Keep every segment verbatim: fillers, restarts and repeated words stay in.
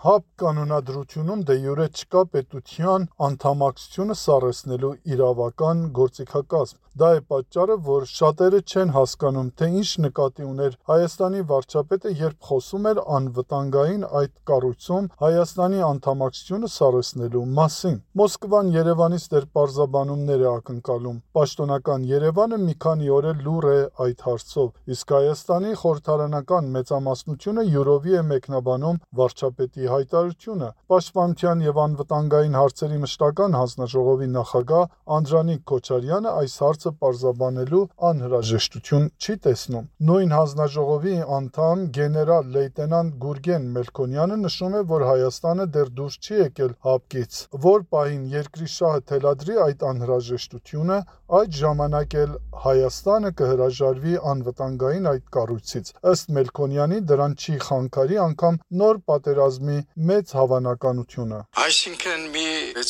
ՀԱՊԿ կանոնադրությունում դե յուրե չկա պետության անդամակցությունը սառեցնելու իրավական գործիքակազմ։ Դա է պատճառը, որ շատերը չեն հասկանում, թե ինչ նկատի ուներ Հայաստանի վարչապետը, երբ խոսում էր անվտանգային այդ կառույցում Հայաստանի անդամակցությունը սառեցնելու մասին։ Մոսկվան Երևանից դեռ պարզաբանումներ է ակնկալում։ Պաշտոնական Երևանը մի քանի օր է լուռ է այդ հարցով, իսկ Հայաստանի խորհրդարանական մեծամասնությունը յուրովի է մեկնաբանում վարչապետի հայտարարությունը։ Պաշտպանության եւ անվտանգային հարցերի մշտական հանձնաժողովի նախագահ Անդրանիկ Քոչարյանը այս հարցը պարզաբանելու անհրաժեշտություն չի տեսնում։ Նույն հանձնաժողովի անդամ գեներալ-լեյտենանտ Գուրգեն Մելքոնյանը նշում է, որ Հայաստանը դեռ դուրս չի եկել ՀԱՊԿ-ից, որ պահին երկրի շահը թելադրի այդ անհրաժեշտությունը, այդ ժամանակ էլ Հայաստանը կհրաժարվի անվտանգային այդ կառույցից։ Ըստ Մելքոնյանի դրան չի խանգարի անգամ նոր պատերազմի մեծ հավանականությունը։ Այսինքն մի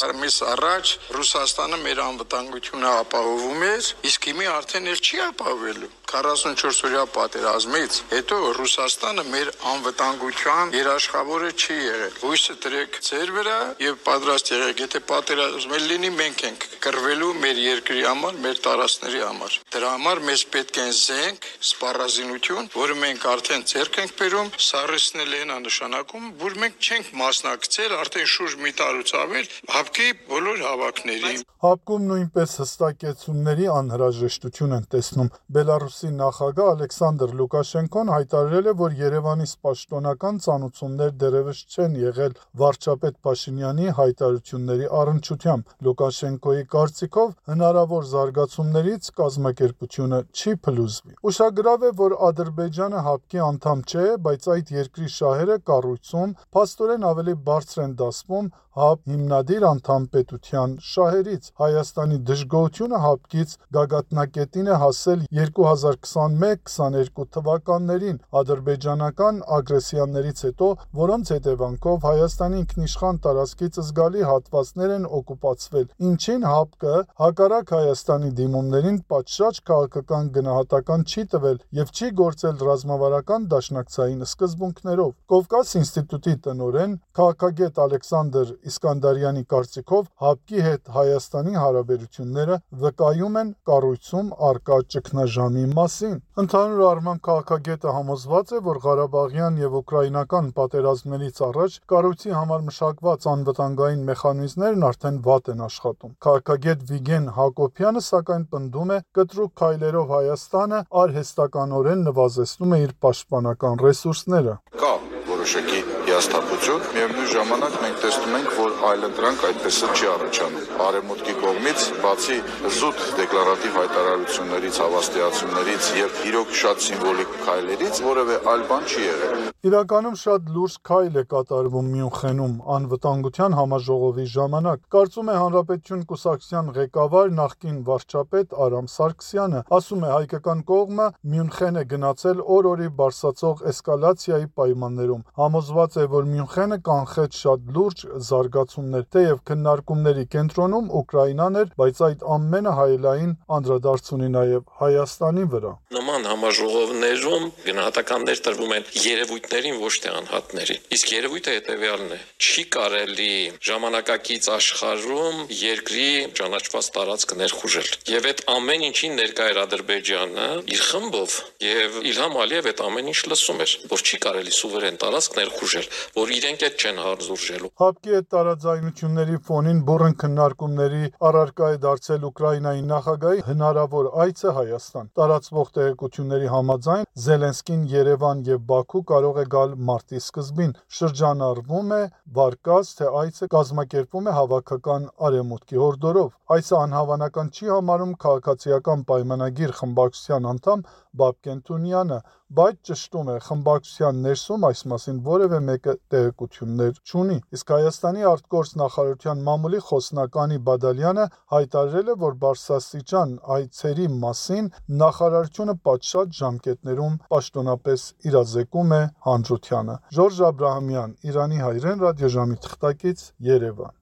ամիս առաջ Ռուսաստանը մեր անվտանգությունը ապահովում էր, իսկ հիմա արդեն էլ չի ապահովելու։ քառասունչորս օրյա պատերազմից հետո Ռուսաստանը մեր անվտանգության երաշխավորը չի եղել։ Հույսը դրեք ձեր վրա եւ պատրաստ եղեք, եթե պատերազմ լինի, մենք ենք կռվելու մեր երկրի համար, մեր տարածքների համար։ Դրա համար մեզ պետք է զենք, սպառազինություն, որը մենք արդեն ձեռք ենք բերում, սառեցնել են նշանակում, որ մենք չենք մասնակցել արդեն շուրջ մի տարուց ավել ՀԱՊԿ-ի բոլոր հավաքներին։ ՀԱՊԿ-ում նույնպես հստակեցումների անհրաժեշտություն են տեսնում։ Բելարուսի նախագահ Ալեքսանդր Լուկաշենկոն հայտարարել է, որ Երևանից պաշտոնական ծանուցումներ դեռևս չեն եղել վարչապետ Փաշինյանի հայտարարությունների առնչությամբ։ Լուկաշենկոյի կարծիքով հնարավոր զարգացումներից կազմակերպությունը չի փլուզվի։ Ուշագրավ է, որ Ադրբեջանը ՀԱՊԿ-ի անդամ չէ, բայց այդ երկրի շահերը կառույցում փաստորեն ավելի բարձր են դասվում ՀԱՊԿ հիմնադիր անդամ պետության շահերից։ Հայաստանի դժգոհությունը ՀԱՊԿ-ից գագաթնակետին է հասել երկու հազար քսանմեկ քսաներկու թվականներին ադրբեջանական ագրեսիաներից հետո, որոնց հետևանքով Հայաստանի ինքնիշխան տարածքից զգալի հատվածներ են օկուպացվել, ինչին ՀԱՊԿ-ը հակառակ Հայաստանի դիմումներին պատշաճ քաղաքական գնահատական չի տվել եւ չի գործել ռազմավարական դաշնակցային սկզբունքներով։ Կովկաս ինստիտուտի տնօրեն քաղաքագետ Ալեքսանդր Իսկանդարյանի կարծիքով ՀԱՊԿ-ի հետ Հայաստանի հարաբերությունները վկայում են կառույցում առկա ճգնաժամի մասին։ Ընդհանուր առմամբ քաղաքագետը համոզված է, որ Ղարաբաղյան եւ ուկրաինական պատերազմներից առաջ կառույցի համար մշակված անվտանգային մեխանիզմներն արդեն վատ են աշխատում։ Քաղաքագետ Վիգեն Հակոբյանը սակայն պնդում է, կտրուկ քայլերով Հայաստանը արհեստականորեն նվազեցնում է իր պաշտպանական ռեսուրսները։ Կա որոշակի հիասթափություն, միևնույն ժամանակ մենք տեսնում ենք, որ այլընտրանք այդպեսը չի առաջանում։ Արևմուտքի կողմից, բացի զուտ դեկլարատիվ հայտարարություններից, հավաստիացումներից եւ իրոք շատ սիմվոլիկ քայլերից, որևէ այլ բան չի եղել։ Իրականում շատ լուրջ քայլ է կատարվում Մյունխենում անվտանգության համաժողովի ժամանակ։ Կարծում է Հանրապետություն կուսակցության ղեկավար նախկին վարչապետ Արամ Սարգսյանը, ասում է հայկական կողմը Մյունխեն է գնացել օր-օրի բարձրացող էսկալացիայի պայմաններում։ Համոզված է, որ Մյունխենը կանխեց շատ լուրջ զարգացումներ, թեև քննարկումների կենտրոնում Ուկրաինան էր, բայց այդ ամենը հայելային անդրադարձ ունի նաև Հայաստանի վրա։ Նման համաժողովներում գնահատականներ տրվում են երևույթներին, ոչ թե անհատներին։ Իսկ երևույթը հետևյալն է. չի կարելի ժամանակակից աշխարհում երկրի ճանաչված տարածք ներխուժել։ Եվ այդ ամեն ինչին ներկա էր Ադրբեջանը իր խմբով, եւ Իլհամ Ալիև այդ ամեն ինչ լսում էր, որ չի կարելի սուվերեն տարածք ներխուժել, որ իրենք այդ չեն հարզուրժելու։ ՀԱՊԿ-ի հետ տարաձայնությունների ֆոնին բուռն քննարկումների առարկա է դարձել Ուկրաինայի նախագահի հնարավոր այցը Հայաստան։ Տարածվող տեղեկությունների համաձայն Զելենսկին Երևան եւ Բաքու կարող է գալ մարտի սկզբին։ Շրջանառվում է վարկած, թե այցը կազմակերպվում է հավաքական արևմուտքի հորդորով։ Այսը անհավանական չի համարում քաղաքացիական պայմանագիր խմբակցության անդամ Բաբկեն Թունյանը, բայց ճշտում է խմբակցության ներսում այս մասին որևէ մեկը տեղեկություններ չունի։ Իսկ Հայաստանի արտգործ նախարարության մամուլի խոսնականի Բադալյանը հայտարարել է, որ բարձրաստիճան այցերի մասին նախարարությունը պատշաճ ժամկետներում պաշտոնապես իրազեկում է հանրությանը։ Ժորժ Աբրահամյան, Իրանի հայրեն ռադիոժամի թղթակից, Երևան։